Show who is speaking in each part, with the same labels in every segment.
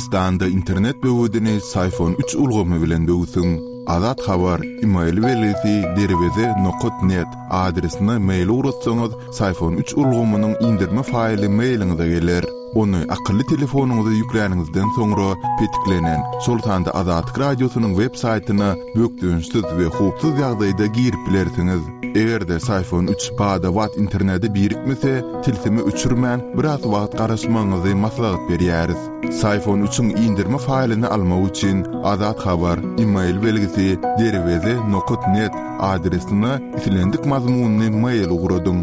Speaker 1: Türkmenistanda internet böwedini Syfon üç ulgamy bilen böwsüň. Azat Habar, email belgisi derweze nokat net adresine mail ugratsaňyz, Syfon üç ulgamynyň indirme faýly mailiňize geler. Ony akylly telefonyňyza ýükläniňizden soňra petiklenen, şol sanda Azatlyk Radiosynyň web saýtyna bökdençsiz we howpsuz ýagdaýda girip bilersiňiz. Eger-de Syfon üç bada-bat internete birikmese, tilsimi öçürmän, biraz wagt garaşmagyňyzy maslahat berýäris. Syfon üçiň indirme faýlyny almak üçin Azat Habar, email belgisi, derweze nokat net adresine islendik mazmunly mail ugradyň.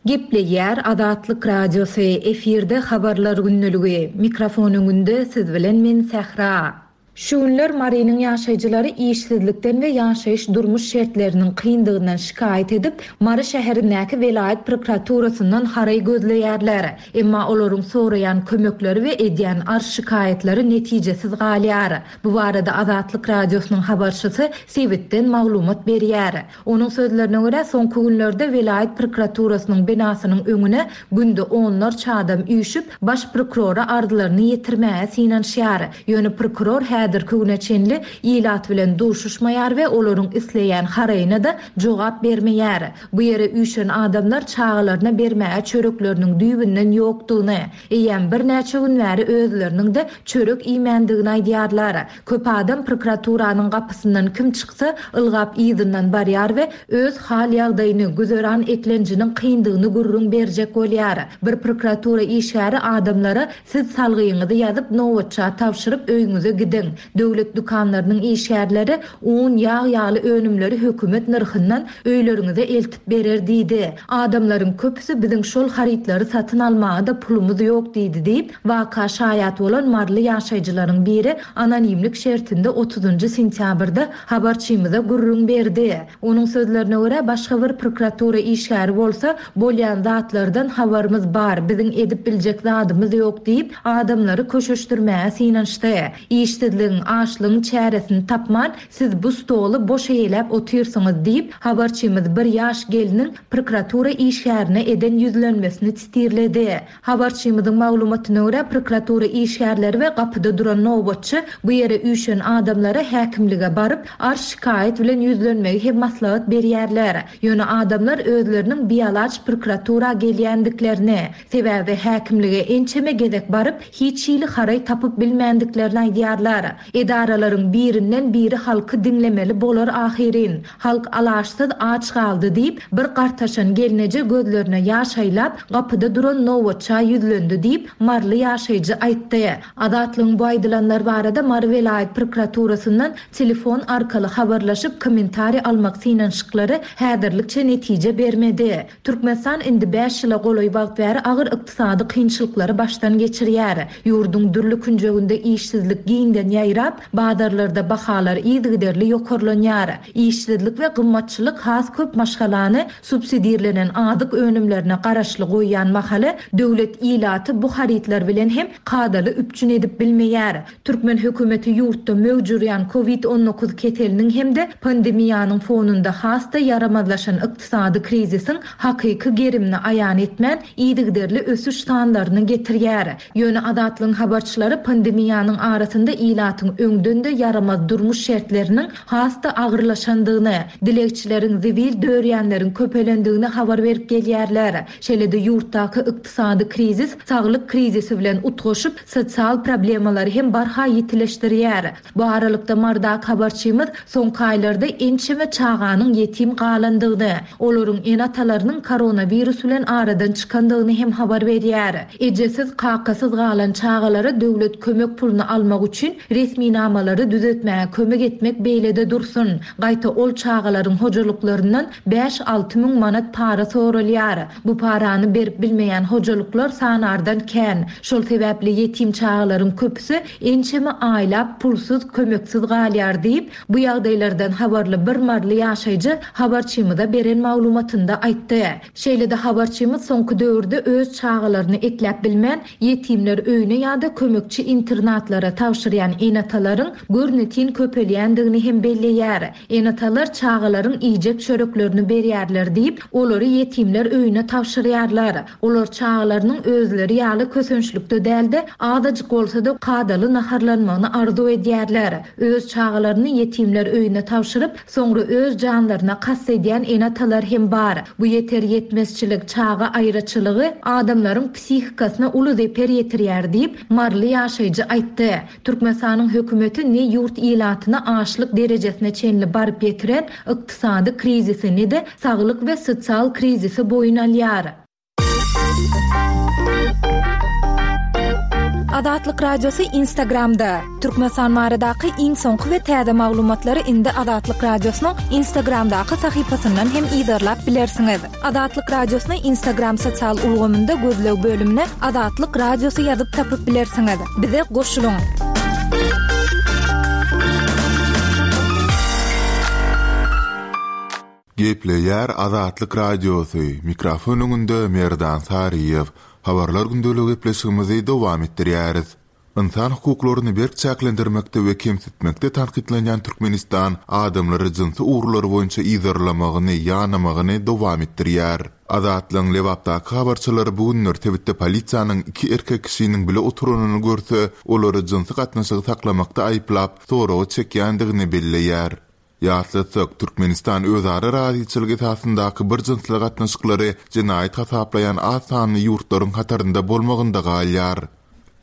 Speaker 2: Gepleýär Azatlyk Radiosy, efirde Habarlar gündeligi. Mikrofon öňünde siz bilen men Sähra. Şu günler Marynyň ýaşaýjylary işsizlikden we ýaşaýyş-durmuş şertleriniň kyndygyndan şikaýat edip, Mary şäherindäki welaýat prokuraturasyndan haraý gözleýärler. Emma olaryň soraýan kömekleri we edýän arz-şikaýatlary netijesiz galýar. Bu barada Azatlyk Radiosynyň habarçysy sebitden maglumat berýär. Onuň sözlerine görä, soňky günlerde welaýat prokuraturasynyň binasynyň öňüne günde onlarça adam üýşüp, baş prokurora arzlaryny ýetirmäge synanyşýar. Ýöne prokuror häzirki güne çenli ilat bilen duşuşmaýar we olaryň isleýän haraýyna-da jogap bermeýär. Bu ýere üýşen adamlar çagalaryna bermäge çörekleriniň düýbünden ýokdugyny, eýýäm birnäçe gün bäri özleriniň-de çörek iýmändigini aýdýarlar. Köp adam prokuraturanyň gapysyndan kim çyksa, ylgap yzyndan barýar we öz hal-ýagdaýyny, güzeran eklenjiniň kyndygyny gürrüň berjek bolýar. Bir prokuratura işgäri adamlara Siz salgyňyzy ýazyp, nobatça tabşyryp, öýüňize gidiň. Döwlet dükanlarynyň işgärleri un, ýag ýaly önümleri hökümet nyrhyndan öýleriňize eltip berer diýdi. Adamlaryň köpüsi biziň şol harytlary satyn almaga-da pulumyz ýok diýdi diýip, Waka şaýat bolan maryly ýaşaýjylaryň biri anonimlik şertinde otuzynjy sentýabrda habarçymyza gürrüň berdi. Onuň sözlerine görä, başga bir prokuratura işgäri bolsa, bolýan zatlardan habarymyz bar, biziň edip biljek zadymyz ýok diýip, adamlary köşeşdirmäge synanyşdy. Işsizligiň, açlygyň çäresini tapman, siz bu stoly boş eýeläp otyrsyňyz diýip, habarçymyz bir ýaş gelniň prokuratura işgärine eden ýüzlenmesini sitirledi. Habarçymyzyň maglumatyna görä, prokuratura işgärleri we gapyda duran nobatçy bu ýere üýşen adamlara häkimlige baryp, arz-şikaýat bilen ýüzlenmegi hem maslahat berýärler. Ýöne adamlar özleriniň bialaç prokuratura gelýändiklerini, sebäbi häkimlige ençeme gezek baryp, hiç hili haraý tapyp bilmändiklerini aýdýarlar. Edaralaryň birinden biri halky diňlemeli bolar ahyryn. Halk alaçsyz aç galdy diýip, bir gartaşan gelneje gözlerine ýaş aýlap, gapyda duran nobatça ýüzlendi diýip, maryly ýaşaýjy aýtdy. Azatlygyň bu aýdylanlar barada Mary welaýat prokuraturasyndan telefon arkaly habarlaşyp, kommentariý almak synanyşyklary häzirlikçe netije bermedi. Türkmenistan indi bäş ýyla golaý wagt bäri agyr ykdysady kynçylyklary başdan geçirýär. Ýurduň dürli künjeginde işsizlik giňden ýaýrap, bazarlarda bahalar yzygiderli ýokarlanýar. Işsizlik we gymmatçylyk has köp maşgalany subsidirlenen azyk önümlerine garaşly goýýan mahaly, döwlet ilaty bu harytlar bilen hem kadaly üpjün edip bilmeýär. Türkmen hökümeti ýurtda möwç urýan Covid 19 keseliniň hem-de pandemiýanyň fonunda has-da ýaramazlaşan ykdysady krizisiň hakyky gerimini aýan etmän, yzygiderli ösüş sanlaryny getirýär. Ýöne Azatlygyň habarçylary pandemiýanyň arasynda ilatyň öňden-de ýaramaz durmuş şertleriniň has-da agyrlaşandygyny, dilegçileriň, zibil dörýänleriň köpelendigini habar berip gelýärler. Şeýle-de ýurtdaky ykdysady krizis saglyk krizisi bilen utgaşyp, sosial problemalary hem barha ýitileşdirýär. Bu aralykda Marydaky habarçymyz soňky aýlarda ençeme çaganyň ýetim galandygyny, olaryň ene-atalarynyň koronawirus bilen aradan çykandygyny hem habar berýär. Ejesiz, kakasyz galan çagalara döwlet kömek puluny almak üçin resminamalary düzetmäge kömek etmek beýlede dursun, gaýta ol çagalaryň hojalyklaryndan Bäş-alty müň manat para soralýar. Bu parany berip bilmeýän hojalyklar sanardan kän. Şol sebäpli ýetim çagalaryň köpüsi ençeme aýlap pulsuz, kömeksiz galýar diýip, bu ýagdaýlardan habarly bir maryly ýaşaýjy habarçymyza beren maglumatynda aýtdy. Şeýle-de habarçymyz soňky döwürde öz çagalaryny ekläp bilmän, ýetimler öýüne ýa-da kömekçi internatlara tabşyrýan. ene-atalaryň görnetin köpelýändigini hem belleýär. Ene-atalar çagalaryň iýjek çöreklerini berýärler diýip, olary ýetimler öýüne tabşyrýarlar. Olar çagalarynyň özleri ýaly kösençlikde däl-de, azajyk bolsa-da kadaly naharlanmagyny arzuw edýärler. Öz çagalaryny ýetimler öýüne tabşyryp, soňra öz janlaryna kast edýän ene-atalar hem bar. Bu ýeter-ýetmezçilik, çaga aýraçylygy adamlaryň psihikasyna uly zeper ýetirýär diýip, maryly ýaşaýjy aýtdy. Türkmenistanyň hökümeti ne ýurt ilatyny açlyk derejesine çenli baryp ýetiren ykdysady krizisi, ne-de saglyk we sosial krizisi boýun alýar.
Speaker 3: Azatlyk Radiosy Instagramda, Türkmenistan baradaky iň soňky we täze maglumatlary indi Azatlyk Radiosynyň Instagramdaky sahypasyndan hem yzarlap bilersiňiz. Azatlyk Radiosyny Instagram sosial ulgamynda gözleg bölümine Azatlyk Radiosy ýazyp tapyp bilersiňiz. Bize goşulyň!
Speaker 1: Gepleýär Azatlyk Radiosy, mikrofon öňünde Merdan Saryýew. Habarlar gündeligi gepleşigimizi dowam etdirýäris. Ynsan hukuklaryny berk çäklendirmekde we kemsitmekde tankytlanýan Türkmenistan adamlary jynsy ugurlary boýunça yzarlamagyny, ýanamagyny dowam etdirýär. Azatlygyň Lebapdaky habarçylary bu günler sebitde polisiýanyň iki erkek kişiniň bile oturanyny görse, olary jynsy gatnaşygy saklamakda aýyplap, soraga çekýändigini belleýär. Ýatlatsak, Türkmenistan özara razyçylyk esasyndaky bir jynsly gatnaşyklary jenaýat hasaplaýan az sanly ýurtlaryň hatarynda bolmagynda galýar.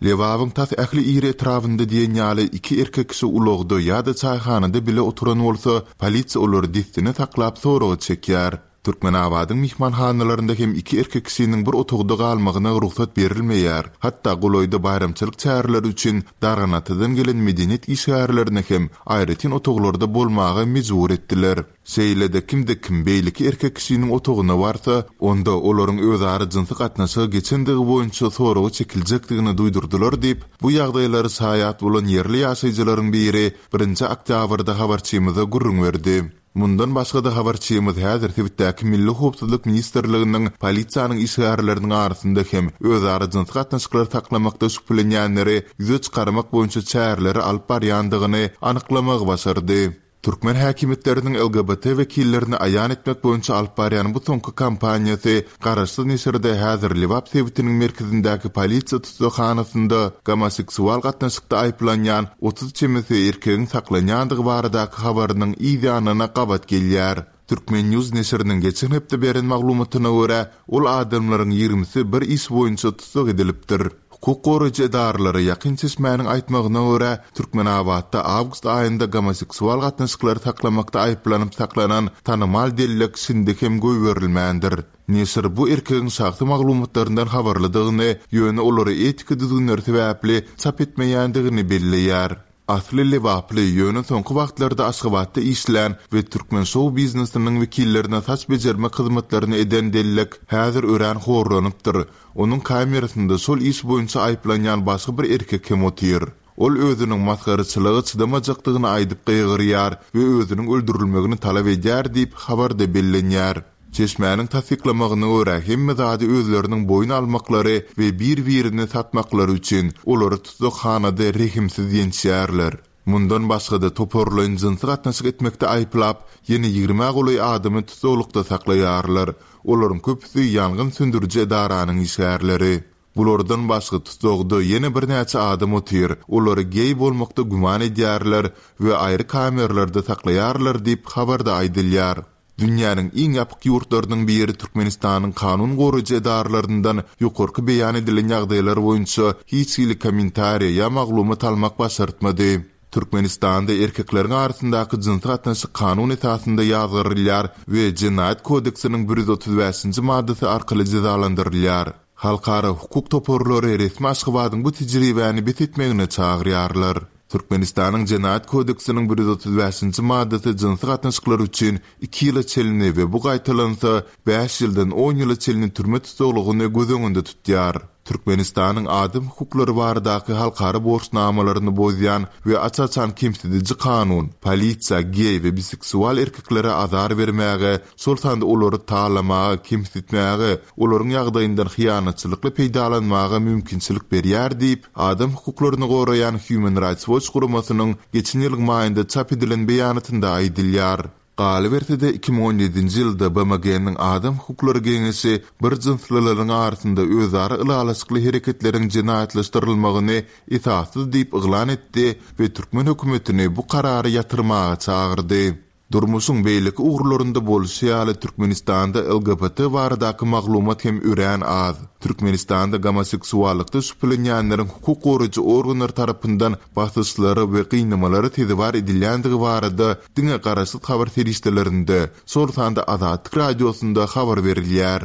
Speaker 1: Lebabyň tas ähli iri etrabynda diýen ýaly iki erkek kişi ulagda ýa-da çaýhanada bile oturan bolsa, polisiýa olary dessine saklap soraga çekýär. Türkmenabadyň myhmanhanalarynda hem iki erkek kişiniň bir otagda galmagyna rugsat berilmeýär. Hatda golaýda baýramçylyk çäreleri üçin Darganatadan gelen medeniýet işgärlerini hem aýratyn otaglarda bolmaga mejbur etdiler. Şeýle-de kimde-kim beýleki erkek kişiniň otagyna barsa, onda olaryň özara jynsy gatnaşyga geçendigi boýunça soraga çekiljekdigini duýdurdylar diýip, bu ýagdaýlara şaýat bolan ýerli ýaşaýjylaryň biri birinji oktýabrda habarçymyza gürrüň berdi. Mundan başga-da habarçymyz häzir sebitdäki Milli howpsuzlyk ministrliginiň polisiýanyň işgärleriniň arasynda hem özara jynsy gatnaşyklary saklamakda şübhelenýänleri ýüze çykarmak boýunça çäreleri alyp barýandygyny anyklamagy başardy. Türkmen häkimiýetleriniň LGBT wekillerini aýan etmek boýunça alyp barýan bu soňky kampaniýasy Garaşsyz neşirde häzir Lebap sebitiniň merkezindäki polisiýa tussaghanasynda gomoseksual gatnaşykda aýyplanýan 30 çemesi erkegiň saklanýandygy baradaky habarynyň yz ýanyna gabat gelýär. Turkmen. News neşiriniň geçen hepde beren maglumatyna görä, ol adamlaryň ýigrimisi bir iş boýunça tussag edilipdir. Hukuk goraýjy edaralara ýakyn çeşmäniň aýtmagyna görä, Türkmenabatda awgust aýynda gomoseksual gatnaşyklary saklamakda aýyplanyp saklanan tanymal dellek şindi hem goýberilmändir. Neşir bu erkegiň şahsy maglumatlaryndan habarlydygyny, ýöne olary etika düzgünleri sebäpli çap etmeýändigini belleýär. Asly lebaply, ýöne soňky wagtlarda Aşgabatda işlän we türkmen şou-biznesiniň wekillerine saç bejermek hyzmatlaryny eden dellek häzir örän horlanypdyr. Onuň kamerasynda şol iş boýunça aýyplanýan başga bir erkek hem otyr. Ol özüniň masgaraçylyga çydamajakdygyny aýdyp gygyrýar we özüniň öldürilmegini talap edýär diýip, habarda bellenýär. Çeşmäniň tassyklamagyna görä, hemme zady özleriniň boýun almaklary we bir-birini satmaklary üçin, olary tussaghanada rehimsiz ýençýärler. Mundan başga-da, toparlaýyn jynsy gatnaşyk etmekde aýyplap, ýene ýigrimä golaý adamy tussaglykda saklaýarlar. Olaryň köpüsi ýangyn söndüriji edaranyň işgärleri. Bulardan başga tussagda ýene birnäçe adam otyr, olary geý bolmakda güman edýärler we aýry kameralarda saklaýarlar diýip, habarda aýdylýar. Dünýäniň iň ýapyk ýurtlarynyň biri Türkmenistanyň kanun goraýjy edaralaryndan ýokarky beýan edilen ýagdaýlar boýunça hiç hili kommentariýa ýa maglumat almak başartmady. Türkmenistanda erkekleriň arasyndaky jynsy gatnaşyk kanun esasynda ýazgarylýar we Jenaýat kodeksiniň 135-nji maddasy arkaly jezalandyrylýar. Halkara hukuk toparlary resmi Aşgabadyň bu tejribäni bes etmegine çagyrýarlar. Türkmenistanyň Jenaýat kodeksiniň 135-nji maddasy jynsy gatnaşyklar üçin iki ýyla çenli we bu gaýtalansa, bäş ýyldan on ýyla çenli türme tussaglygyny göz öňünde tutýar. Türkmenistanyň adam hukuklary baradaky halkara borçnamalaryny bozýan we aç-açan kemsidiji kanun, polisiýa geý we biseksual erkeklere azar bermäge, şol sanda olary talamaga, kemsitmäge, olaryň ýagdaýyndan hyýanatçylykly peýdalanmaga mümkinçilik berýär diýip, adam hukuklaryny goraýan Human Rights Watch guramasynyň geçen ýylyň maýynda çap edilen beýanatynda aýdylýar. Galyberse-de, 2017-nji ýylda BMG-niň Adam hukuklary geňeşi bir jynslylaryň arasynda özara ylalaşykly hereketleriň jenaýatlaşdyrylmagyny esassyz diýip yglan etdi we türkmen hökümetini bu karary ýatyrmaga çagyrdy. Durmuşyň beýleki ugurlarynda bolşy ýaly, Türkmenistanda LGBT baradaky maglumat hem örän az. Türkmenistanda gomoseksuallykda şübhelenýänleriň hukuk goraýjy organlar tarapyndan basyşlara we gynamalara sezewar edilýändigi barada diňe garaşsyz habar serişdelerinde, şol sanda Azatlyk Radiosynda habar berilýär.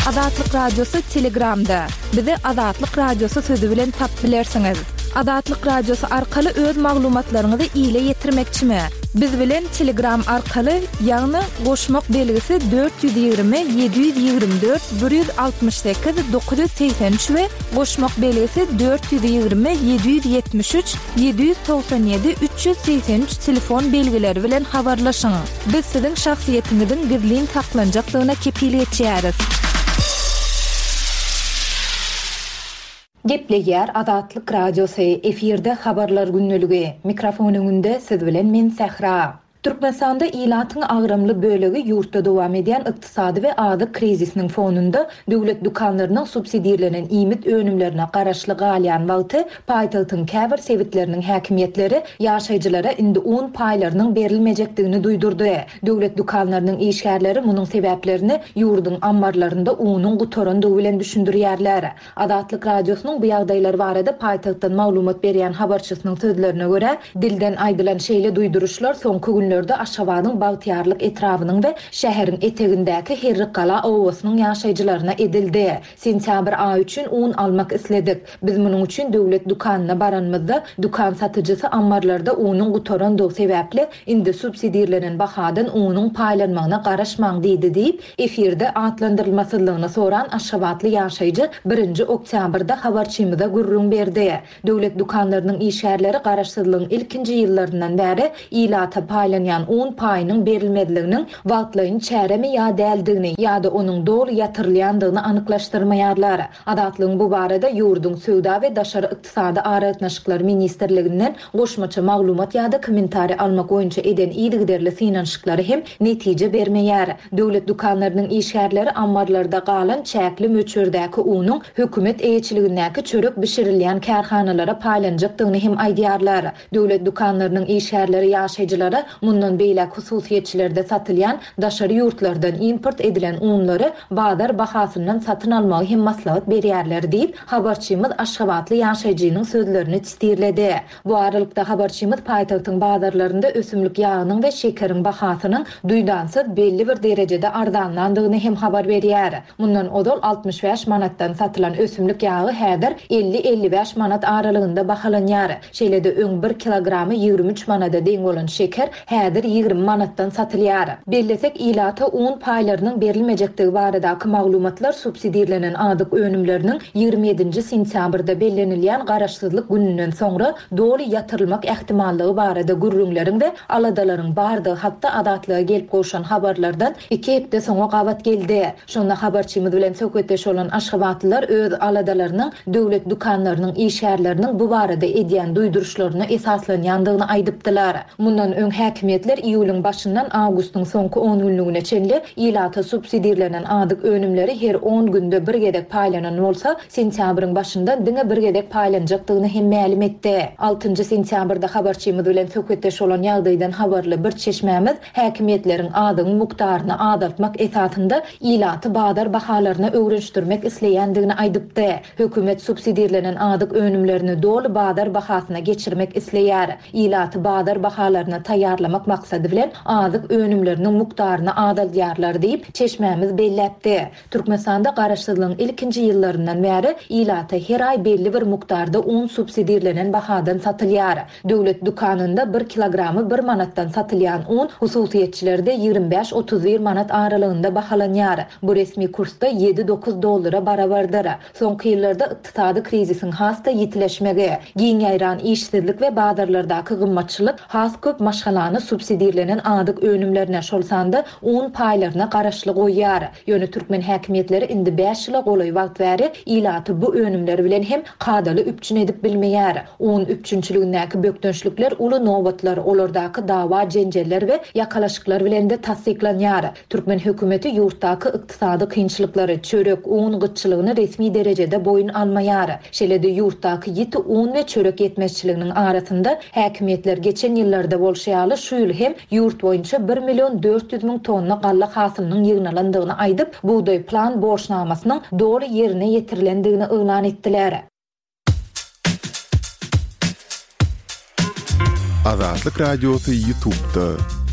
Speaker 3: Azatlyk Radiosy Telegramda. Bizi Azatlyk Radiosy sözi bilen tapyp bilersiňiz. Azatlyk Radiosy arkaly öz maglumatlaryňyzy ile ýetirmekçimi? Biz bilen Telegram arkaly, ýagny goşmak belgisi 420 724 168 983 we goşmak belgisi 420 773 797 383 telefon belgileri bilen habarlaşyň. Biz siziň şahsyýetiňiziň gizlin saklanjakdygyna kepil geçýäris.
Speaker 2: Gepleýär Azatlyk Radiosy, efirde Habarlar gündeligi. Mikrofon öňünde siz bilen men Sähra. Türkmenistanda ilatyň agramly bölegi ýurtda dowam edýän ykdysady we azyk krizisiniň fonunda döwlet dükanlarynyň subsidirlenen iýmit önümlerine garaşly galýan wagty, paýtagtyň käbir sebitleriniň häkimiýetleri ýaşaýjylara indi un paýlarynyň berilmejekdigini duýdurdy. Döwlet dükanlarynyň işgärleri munuň sebäplerini ýurduň ammarlarynda unuň gutarandygy bilen düşündirýärler. Azatlyk Radiosynyň bu ýagdaýlar barada paýtagtdan maglumat berýän habarçysynyň sözlerine görä, dilden aýdylan şeýle duýduryşlar soňky günlerde Aşgabadyň Bagtyýarlyk etrabynyň we şäheriň etegindäki Herrikgala obasynyň ýaşaýjylaryna edildi. Sentýabr aýy üçin un almak isledik. Biz munuň üçin döwlet dükanyna baranymyzda, dükan satyjysy ammarlarda unuň gutarandygy sebäpli, indi subsidirlenen bahadan unuň paýlanmagyna garaşmaň diýdi diýip, Efirde atlandyrylmasyzlygyny soran aşgabatly ýaşaýjy birinji oktýabrda habarçymyza gürrüň berdi. Döwlet dükanlarynyň işgärleri garaşsyzlygyň ilkinji ýyllaryndan bäri ilata paýlanýan un paýynyň berilmezliginiň wagtlaýyn çäremi ýa däldigini ýa-da onuň doly ýatyrylýandygyny anyklaşdyrmaýarlar. Azatlygyň bu barada ýurduň Söwda we daşary ykdysady aragatnaşyklar ministrliginden goşmaça maglumat ýa-da kommentariý almak boýunça eden yzygiderli synanyşyklary hem netije bermeýär. Döwlet dükanlarynyň işgärleri ammarlarda galan çäkli möçberdäki unuň hökümet eýeçiligindäki çörek bişirilýän kärhanalara paýlanjakdygyny hem aýdýarlar. Döwlet dükanlarynyň işgärleri ýaşaýjylara mundan beýläk hususyýetçilerde satylýan daşary ýurtlardan import edilen unlary bazar bahasyndan satyn almagy hem maslahat berýärler diýip, habarçymyz aşgabatly ýaşaýjynyň sözlerini çitirledi. Bu aralykda, habarçymyz paýtagtyň bazarlarynda ösümlik ýagynyň we şekeriň bahasynyň duýdansyz belli bir derejede arzanlandygyny hem habar berýär. Mundan ozal 65 manatdan satylan ösümlik ýagy häzir 50-55 manat aralygynda bahalanýar. Şeýle-de öň bir kilogramy 23 manada deň bolan şeker häzir 20 manatdan satylýar. Bellesek, ilata un paýlarynyň berilmejekdigi baradaky maglumatlar subsidirlenen azyk önümleriniň 27-nji sentýabrda bellenilýän Garaşsyzlyk gününden soňra doly ýatyrylmak ähtimallygy barada gürrüňleriň we aladalaryň bardygy hakda Azatlyga gelip gowşan habarlardan iki hepde soňa gabat geldi. Şonda habarçymyz bilen söhbetdeş bolan aşgabatlylar öz aladalarynyň döwlet dükanlarynyň işgärleriniň bu barada edýän duýduryşlaryna esaslanýandygyny aýdypdylar. Mundan öň häkimiýetler iýulyň başyndan awgustyň soňky on günlügine çenli ilata subsidirlenen azyk önümleri her on günde bir gezek paýlanan bolsa, sentýabryň başyndan diňe bir gezek paýlanjakdygyny hem mälim etdi. Altynjy sentýabrda habarçymyz bilen söhbetdeş bolan ýagdaýdan habarly bir çeşmämiz häkimiýetleriň azygyň mukdaryny azaltmak esasynda ilaty bazar bahalaryna öwrenişdirmek isleýändigini aýdypdy. Hökümet subsidirlenen azyk önümlerini doly bazar bahasyna geçirmek isleýär. Ilaty bazar bahalaryna taýýarlamak. tygşytlamak maksady bilen azyk önümleriniň mukdaryny azaldýarlar diýip, çeşmämiz belläpdi. Türkmenistanda garaşsyzlygyň ilkinji ýyllaryndan bäri ilata her aý belli bir mukdarda un subsidirlenen bahadan satylýar. Döwlet dükanynda bir kilogramy bir manatdan satylýan un hususyýetçilerde 25, 31 manat aralygynda bahalanýar. Bu resmi kursda ýedi-dokuz dollara barabardyr. Soňky ýyllarda ykdysady krizisiň has-da ýitileşmegi, giň ýaýran işsizlik we bazarlardaky gymmatçylyk has köp maşgalany subsidirlenen azyk önümlerine, şol sanda un paýlaryna garaşly goýýar. Ýöne türkmen häkimiýetleri indi bäş ýyla golaý wagt bäri ilaty bu önümler bilen hem kadaly üpjün edip bilmeýär. Un üpjünçiligindäki bökdençlikler uly nobatlar, olardaky dawa-jenjeller we ýakalaşyklar bilen-de tassyklanýar. Türkmen hökümeti ýurtdaky ykdysady kynçylyklary, çörek, un gytçylygyny resmi derejede boýun almaýar. Şeýle-de ýurtdaky ýiti un we çörek ýetmezçiliginiň arasynda, häkimiýetler geçen ýyllarda bolşy ýaly şu ýyl hem ýurt boýunça bir million 400 müň tonna galla hasylynyň ýygnalandygyny aýdyp, bugdaý plan borçnamasynyň doly ýerine ýetirilendigini yglan etdiler.
Speaker 1: Azatlyk Radiosy YouTube'da.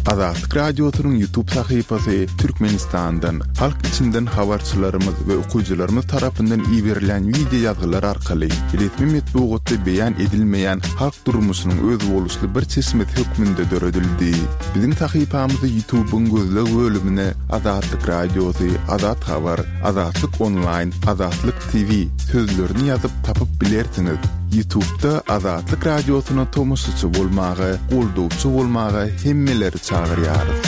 Speaker 1: Azatlyk Radiosynyň YouTube sahypasy Türkmenistandan, halk içinden habarçylarymyz we okyjylarymyz tarapyndan iberilen wideo ýazgylar arkaly resmi metbugatda beýan edilmeýän halk durmuşynyň özboluşly bir çeşmesi hökmünde döredildi. Biziň sahypamyzy YouTube'yň gözleg bölümine Azatlyk Radiosy, Azat Habar, Azatlyk Onlaýn, Azatlyk TV sözlerini ýazyp tapyp bilersiňiz. Ýutubda Azatlyk Radiosyna tomaşaçy bolmaga, goldawçy bolmaga hemmeleri çagyrýarys.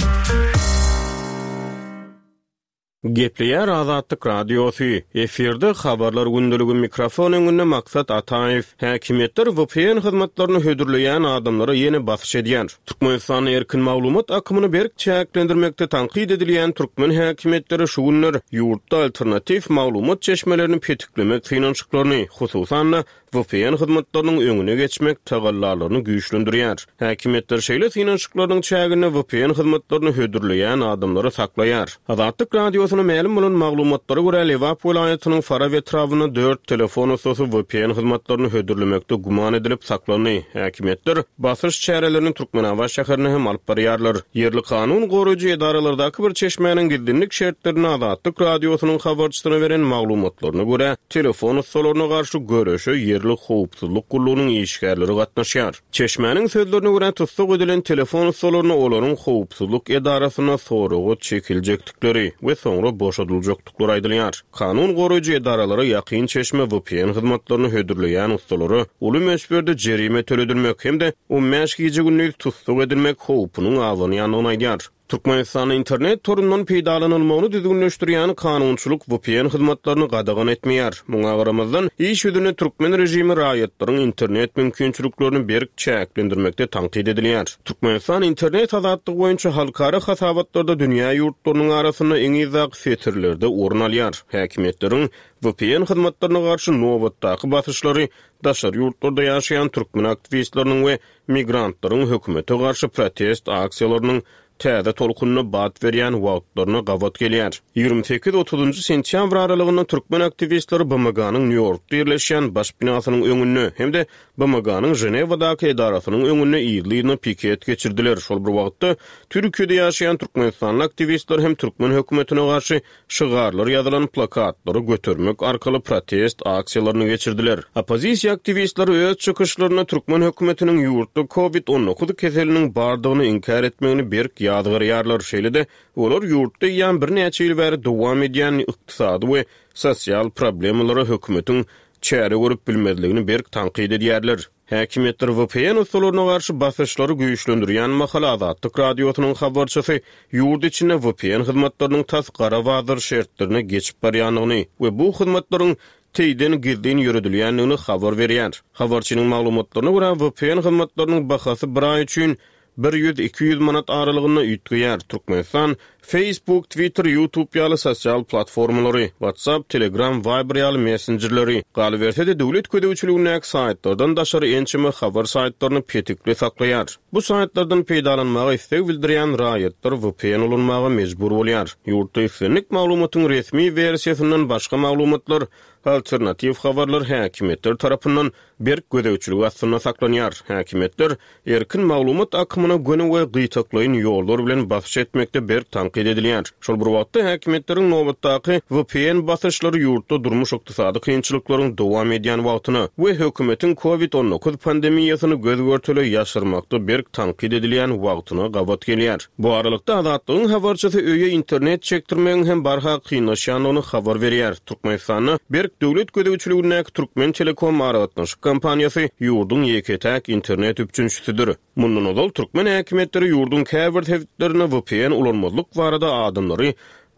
Speaker 4: Gepleýär Azatlyk Radiosy, efirde Habarlar gündeligi mikrofon öňünde Maksat Ataýew. Häkimiýetler vpn hyzmatlaryny hödürleýän adamlara ýene basyş edýär. Türkmenistanda erkin maglumat akymyny berk çäklendirmekde tankyt edilýän türkmen häkimiýetleri şu günler ýurtda alternatiw maglumat çeşmelerini petiklemek synanyşyklaryny, hususan-da, vpn hyzmatlarynyň öňüne geçmek tagallalaryny güýçlendirýär. Häkimiýetler şeýle synanyşyklarynyň çäginde vpn hyzmatlaryny hödürleýän adamlary saklaýar. Azatlyk Radiosyna mälim bolan maglumatlara görä, Lebap welaýatynyň Farap etrabynda dört telefon ussasy vpn hyzmatlaryny hödürlemekde güman edilip saklandy. Häkimiýetler basyş çärelerini Türkmenabat şäherinde hem alyp barýarlar. Ýerli kanun goraýjy edaralardaky bir çeşmäniň gizlinlik şertlerinde Azatlyk Radiosynyň habarçysyna beren maglumatlaryna görä, telefon ussalaryna garşy göreşe ýerli howpsuzlyk gullugynyň işgärleri gatnaşýar. Çeşmäniň sözlerine görä, tussag edilen telefon ussalaryna olaryň howpsuzlyk edarasynda soraga çekiljekdikleri we soňra boşadyljakdyklary aýdylýar. Kanun goraýjy edaralara ýakyn çeşme vpn hyzmatlaryny hödürleýän ussalara uly möçberde jerime töledilmek hem-de on bäş gije-gündiz tussag edilmek howpunyň abanýandygyny aýdýar. Türkmenistanda internet torundan peýdalanylmagyny düzgünleşdirýän kanunçylyk vpn hyzmatlaryny gadagan etmeýär. Muňa garamazdan, iş ýüzünde türkmen režimi raýatlaryň internet mümkinçiliklerini berk çäklendirmekde tankyt edilýär. Türkmenistan internet azatlygy boýunça halkara hasabatlarda dünýä ýurtlarynyň arasynda iň yzdaky setirlerde orun alýar. Häkimiýetleriň vpn hyzmatlaryna garşy nobatdaky basyşlary daşary ýurtlarda ýaşaýan türkmen aktiwistleriniň we migrantlaryň hökümete garşy protest aksiýalarynyň täze tolkunyna bat berýän wagtlaryna gabat gelýär. 28, otuzynjy sentýabr aralygynda türkmen aktiwistleri BMG-niň Nýu-Ýorkda ýerleşýän baş binasynyň öňünde hem-de BMG-niň Ženewadaky edarasynyň öňünde yzly-yzyna piket geçirdiler. Şol bir wagtda, Türkiýede ýaşaýan türkmenistanly aktiwistler hem türkmen hökümetine garşy şygarlar ýazylan plakatlary götermek arkaly protest aksiýalaryny geçirdiler. Oppozisiýa aktiwistleri öz çykyşlarynda türkmen hökümetiniň ýurtda Covid 19 keseliniň bardygyny inkär etmegini berk ýazgarýarlar. Şeýle-de, olar ýurtda eýýäm birnäçe ýyl bäri dowam edýän ykdysady we sosial problemalara hökümetiň çäre görüp bilmezligini berk tankyt edýärler. Häkimiýetler vpn ussalaryna garşy basyşlary güýçlendirýän mahaly Azatlyk Radiosynyň habarçysy ýurt içinde vpn hyzmatlarynyň tas gara bazar şertlerine geçip barýandygyny we bu hyzmatlaryň teýden gizlin ýöredilýändigini habar berýär. Habarçynyň maglumatlaryna görä, vpn hyzmatlarynyň bahasy bir aý üçin Bir ýüz, 200 manat aralygynda üýtgeýär. Türkmenistan Facebook, Twitter, YouTube ýaly sosial platformalary, WhatsApp, Telegram, Viber ýaly messenjerleri, galyberse-de döwlet gözegçiligindäki saýtlardan daşary ençeme habar saýtlaryny petikli saklaýar. Bu saýtlardan peýdalanmaga isleg bildirýän raýatlar vpn ulanmaga mejbur bolýar. Ýurtda islendik maglumatyň resmi wersiýasyndan başga maglumatlar. alternatiw habarlar häkimiýetler tarapyndan berk gözegçilik astynda saklanýar. Häkimiýetler erkin maglumat akymyna göni we gytaklaýyn ýollar bilen basyş etmekde berk tankyt edilýär. Şol bir wagtda, häkimiýetleriň nobatdaky vpn basyşlary ýurtda durmuş-ykdysady kynçylyklaryň dowam edýän wagtyna we hökümetiň Covid 19 pandemiýasyny göz-görtele ýaşyrmakda berk tankyt edilýän wagtyna gabat gelýär. Bu aralykda, Azatlygyň habarçysy öýe internet çekdirmegiň hem barha kynlaşýandygyny habar berýär. Türkmenistanda berk döwlet gözegçiligindäki Türkmentelekom aragatnaşyk kompaniýasy ýurduň ýeke-täk internet üpjünçisidir. Mundan ozal, türkmen häkimiýetleri ýurduň käbir sebitlerinde vpn ulanmazlyk barada adamlary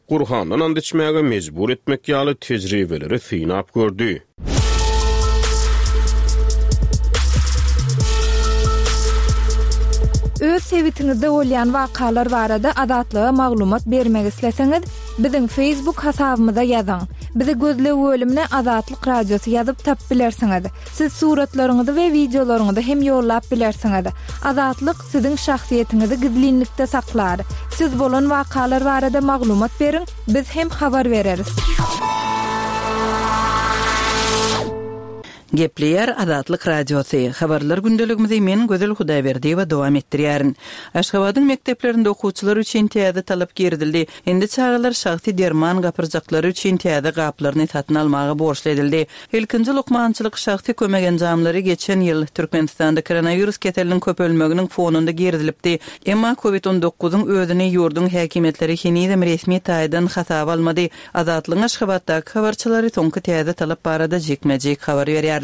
Speaker 4: Gurhandan ant içmäge mejbur etmek ýaly tejribeleri synap gördi.
Speaker 3: Öz sebitiňizde bolýan wakalar barada Azatlyga maglumat bermek isleseňiz, biziň Facebook hasabymyza ýazyň. Bizi gözleg bölümine Azatlyk Radiosy ýazyp tapyp bilersiňiz. Siz suratlaryňyzy we wideolaryňyzy hem ýollap bilersiňiz. Azatlyk siziň şahsyýetiňizi gizlinlikde saklar. Siz bolan wakalar barada maglumat beriň, biz hem habar bereris.
Speaker 5: Gepleýär Azatlyk Radiosy. Habarlar gündeligimizi men Gözel Hudaýberdiýewa dowam etdirýärin. Aşgabadyň mekdeplerinde okuwçylar üçin täze talap girizildi. Indi çagalar şahsy derman gapyrjaklary üçin täze gaplaryny satyn almaga borçly edildi. Ilkinji lukmançylyk şahsy kömek enjamlary geçen ýyl, Türkmenistanda koronawirus keseliniň köpelmeginiň fonunda girizilipdi. Emma covid on dokuzyň özüni ýurduň häkimiýetleri henizem resmi taýdan hasaba almady. Azatlygyň Aşgabatdaky habarçylary soňky täze talap barada jikme-jik habar berýärler.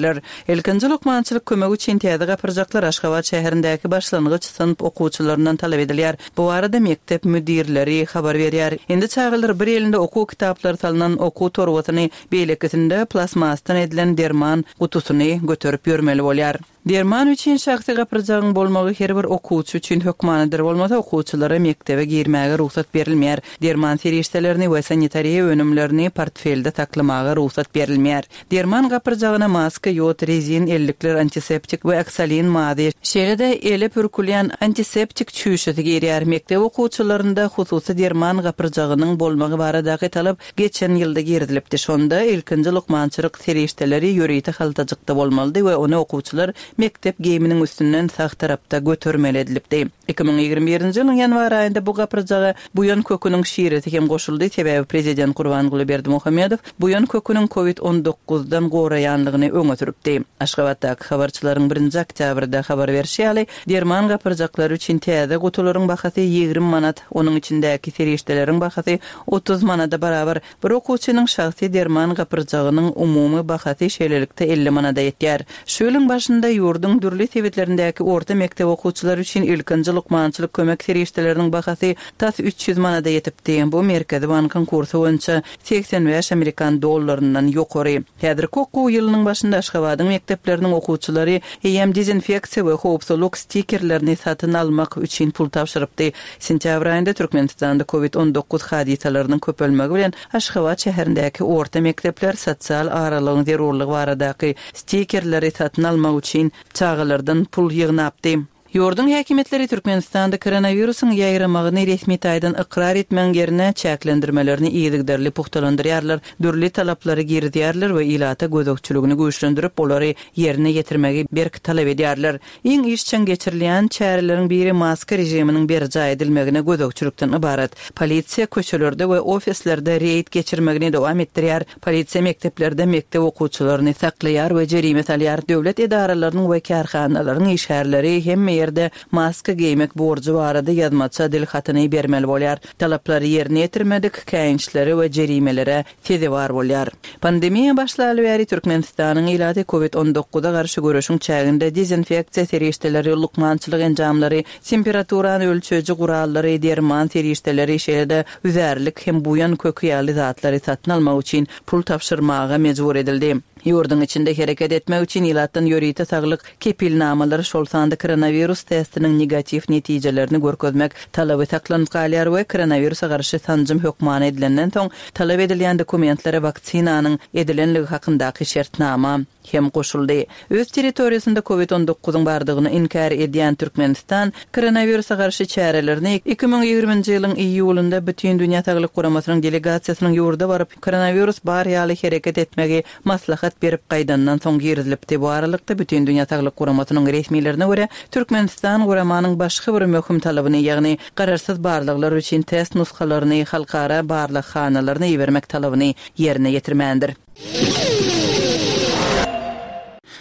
Speaker 5: Ilkinji lukmançylyk kömegi üçin täze gapyrjaklar Aşgabat şäherindäki başlangyç synp okuwçylaryndan talap edilýär. Bu barada mekdep müdirleri habar berýär. Indi çagalar bir elinde okuw kitaplary salnan okuw torbasyny, beýlekisinde plastmasdan edilen derman gutusyny göterip ýörmeli bolýar. Derman üçin şahsy gapyrjagyň bolmagy her bir okuwçy üçin hökmanydyr, bolmasa okuwçylara mekdebe girmäge rugsat berilmeýär. Derman serişdelerini we sanitariýa önümlerini portfelde saklamaga rugsat berilmeýär. Derman gapyrjagyna maska, ýod, rezin ellikler, antiseptik we oksalin mazy, şeýle-de ele pürkülýän antiseptik çüýşesi girýär. Mekdep okuwçylarynda hususy derman gapyrjagynyň bolmagy baradaky talap geçen ýylda girizilipdi. Şonda ilkinji lukmançylyk serişdeleri ýörite haltajykda bolmalydy we ony okuwçylar mekdep geýiminiň üstünden sag tarapda götermeli edilipdi. 2021-nji ýylyň ýanwar aýynda bu gapyrjaga buýan köküniň şiresi hem goşuldy, sebäbi prezident Gurbanguly Berdimuhamedow buýan köküniň covid on dokuzdan goraýanlygyny öňe sürüpdi. Aşgabatdaky habarçylaryň birinji oktýabrda habar berşi ýaly, derman gapyrjaklary üçin täze gutularyň bahasy 20 manat, onuň içindäki serişdeleriň bahasy 30 manada barabar. Bir okuwçynyň şahsy derman gapyrjagynyň umumy bahasy şeýlelikde 50 manada ýetýär. Şu ýylyň başynda ýurduň dürli sebitlerindäki orta mekdep okuwçylary üçin ilkinji lukmançylyk kömek serişdeleriniň bahasy tas 300 manada ýetipdi. Bu Merkezi bankyň kursy boýunça 85 amerikan dollaryndan ýokary. Häzirki okuw ýylynyň başynda Aşgabadyň mekdepleriniň okuwçylary eýýäm dezinfeksiýa we howpsuzlyk stikerlerini satyn almak üçin pul tabşyrypdy. Sentýabr aýynda Türkmenistanda covid 19 hadysalarynyň köpelmegi bilen Aşgabat şäherindäki orta mekdepler sosial aralygyň zerurlygy baradaky stikerleri satyn almak üçin çagalardan pul ýygnapdy. Ýurduň häkimiýetleri Türkmenistanda koronawirusyň ýaýramagyny resmi taýdan ykrar etmegiň ýerine çäklendirmelerini yzygiderli pugtalandyrýarlar, dürli talaplary girizýärler we ilata gözegçiligini güýçlendirip, olary ýerine ýetirmegi berk talap edýärler. Iň işjeň geçirilýän çäreleriň biri maska režiminiň berjaý edilmegine gözegçilikden ybarat. Polisiýa köçelerde we ofislerde reýd geçirmegini dowam etdirýär. Polisiýa mekdeplerde mekdep okuwçylaryny saklaýar we jerime salýar. Döwlet edaralarynyň we kärhanalaryň işgärleri hemme ýerde maska geýmek borjy barada ýazmaça dil hatyny bermeli bolýar. Talaplary ýerine ýetirmedik käýinçlere we jerimelere sezewar bolýar. Pandemiýa başlaly bäri Türkmenistanyň ilaty covid on dokuza garşy göreşiň çäginde dezinfeksiýa serişdeleri, lukmançylyk enjamlary, temperaturany ölçeýji gurallary, derman serişdeleri, şeýle-de üzärlik hem buýan köki ýaly zatlary satyn almak üçin pul tabşyrmaga mejbur edildi. Ýurduň içinde hereket etmek üçin ilatdan ýörite saglyk kepilnamalary, şol sanda koronawirus testiniň negatiw netijelerini görkezmek talaby saklanyp galýar we koronawirusa garşy sanjym hökmany edilenden soň talap edilýän dokumentlere waksinanyň edilenligi hakyndaky şertnama. Hem goşuldy. Öz territoriýasynda Covid on dokuzyň bardygyny inkär edýän Türkmenistan koronawirusa garşy çärelerini 2020-nji ýylyň iýulynda Bütindünýä Saglyk Guramasynyň delegasiýasynyň ýurda baryp, koronawirus bar ýaly hereket etmegi maslahat berip gaýdandan soň girizilipdi. Bu aralykda, Bütindünýä Saglyk Guramasynyň resmilerine görä, Türkmenistan guramanyň başga bir möhüm talabyny, ýagny garaşsyz barlaglar üçin test nusgalaryny halkara barlaghanalaryna ibermek talabyny ýerine ýetirmändir.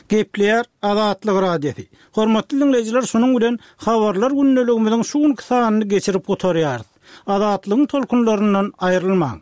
Speaker 6: Gepleýär Azatlyk Radiosy. Hormatly diňleýjiler şunuň bilen Habarlar gündeligimiziň şu günki sanyny geçirip gutarýarys. Azatlygyň tolkunlaryndan aýrylmaň!